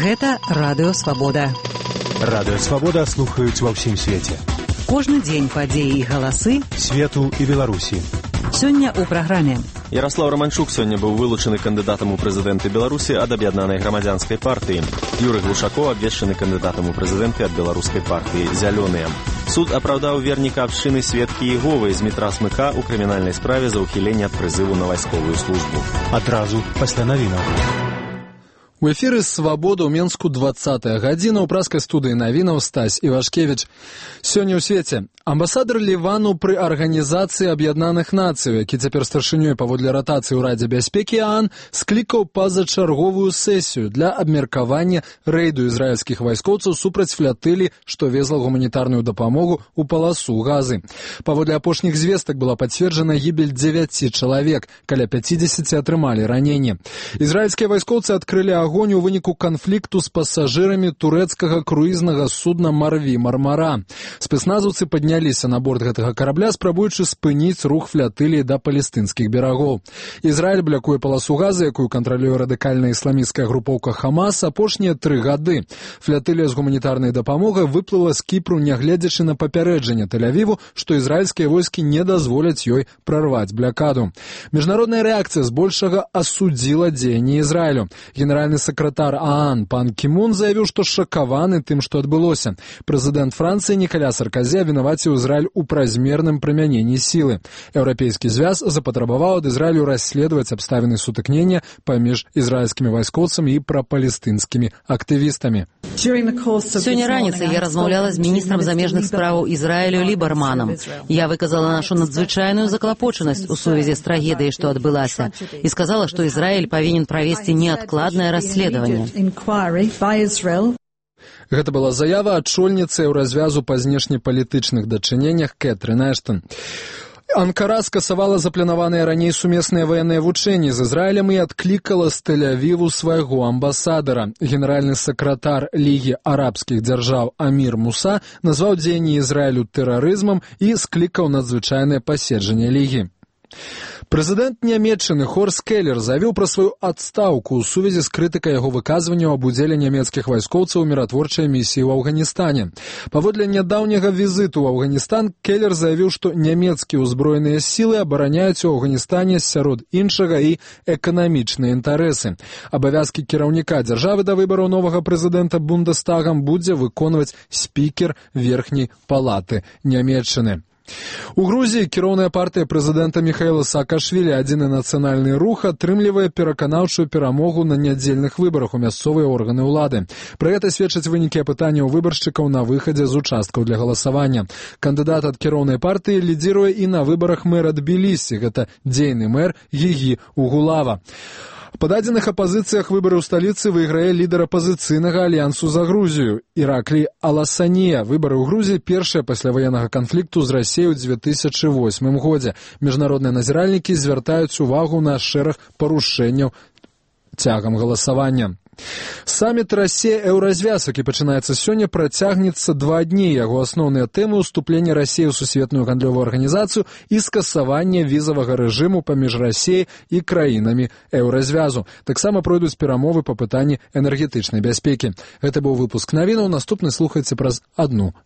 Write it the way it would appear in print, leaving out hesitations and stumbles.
Гэта Радыё Свабода. Радыё Свабода слухаюць ва ўсім свеце. Кожны дзень падзеі і галасы свету і Беларусі. Сёння ў праграме. Ярослав Романчук сёння быў вылучаны кандыдатам у прэзідэнты Беларусі ад аб'яднанай грамадзянскай партыі. Юрый Глушакоў абвешчаны кандыдатам у прэзідэнты ад беларускай партыі «Зялёныя». Суд апраўдаў верніка абшчыны сведкі Іговы з метра Смыка ў крымінальнай справе за ўхіленне ад прызыву на вайсковую службу. Адразу пасля навінаў. У эфіры «Свабода» ў Менску 20-я гадзіна, ў праскай студыі навінаў Стась Івашкевіч. Сёння ў свеце амбасадар Лівану пры Арганізацыі Аб'яднаных Нацый, які цяпер старшынёй паводле ратацыі ў Радзе бяспекі ААН, склікаў пазачарговую сесію для абмеркавання рэйду ізраільскіх вайскоўцаў супраць флятылі, што везла гуманітарную дапамогу ў паласу Газы. Паводле апошніх звестак была пацверджана гібель 9 чалавек, каля 50 атрымалі раненні. Ізраільскія вайскоўцы адкрылі агонь у выніку канфлікту з пасажырамі турэцкага круізнага судна «Марві Мармара». Спецназаўцы падняліся на борт гэтага карабля, спрабуючы спыніць рух флятылі да палестынскіх берагоў. Ізраіль блякуе паласу Газы, якую кантралюе радыкальная ісламісцкая групоўка «Хамас» апошнія 3 гады. Флятылія з гуманітарнай дапамогай выплыла з Кіпру, нягледзячы на папярэджанне Тель-Авіву, што ізраільскія войскі не дазволяць ёй прарваць блякаду. Міжнародная рэакцыя збольшага асудзіла дзеянні Ізраілю. Генеральны сакратар ААН пан Кімун заявіў, што шакаваны тым, што адбылося. Прэзідэнт Францыі Нікаля Сарказі абвінаваціў Ізраіль у празмерным прымяненні сілы. Еўрапейскі звяз запатрабаваў ад Ізраілю расследаваць абставіны сутыкнення паміж ізраільскімі вайскоўцамі і прапалестынскімі актывістамі. Сёння раніцай я размаўляла з міністрам замежных справаў Ізраілю Лібарманам. Я выказала нашу надзвычайную заклапочанасць у сувязі з трагедыяй, што адбылася, і сказала, што Ізраіль павінен правесці неадкладнае расследаванне. Гэта была заява адчольніцы развязу па знешнепалітычных дачыненнях Кэтрын Эштон. Анкара скасавала запланаваныя раней сумесныя ваенныя вучэнні з Ізраілем і адклікала з Тель-Авіву свайго амбасадара. Генеральны сакратар Лігі арабскіх дзяржаў Амір Муса назваў дзеянні Ізраілю тэрарызмам і склікаў надзвычайнае паседжанне Лігі. Прэзідэнт Нямецчыны Хорст Келлер заявіў пра сваю адстаўку ў сувязі з крытыкай яго выказванняў аб удзеле нямецкіх вайскоўцаў у міратворчай місіі ў Афганістане. Паводле нядаўняга візіту ў Афганістан Келлер заявіў, што нямецкія ўзброеныя сілы абараняюць у Афганістане сярод іншага і эканамічныя інтарэсы. Абавязкі кіраўніка дзяржавы да выбараў новага прэзідэнта Бундестагам будзе выконваць спікер верхняй палаты Нямецчыны. У Грузіі кіроўная партыя прэзідэнта Міхаіла Саакашвілі «Адзіны нацыянальны рух» атрымлівае пераканаўчую перамогу на нядзельных выбарах у мясцовыя органы ўлады. Пра гэта сведчаць вынікі апытанняў выбаршчыкаў на выхадзе з участкаў для галасавання. Кандыдат ад кіроўнай партыі лідзіруе і на выбарах мэра Тбілісі, гэта дзейны мэр Гігі Угулава. Па дадзеных апазіцыях выбары ў сталіцы выйграе лідар апазіцыйнага альянсу за Грузію Іраклі Аласанія. Выбары ў Грузіі першыя пасля ваеннага канфлікту з Расіяй у 2008 годзе. Міжнародныя назіральнікі звяртаюць увагу на шэраг парушэнняў цягам галасавання. Саміт Расія-Еўразвяз, які пачынаецца сёння, працягнецца 2 дні. Яго асноўныя тэмы – уступлення Расіі ў сусветную гандлёвую арганізацыю і скасаванне візавага рэжыму паміж Расіяй і краінамі Еўразвязу. Таксама пройдуць перамовы па пытанні энергетычнай бяспекі. Гэта быў выпуск навінаў. Наступны слухайце праз 1 гадзіну.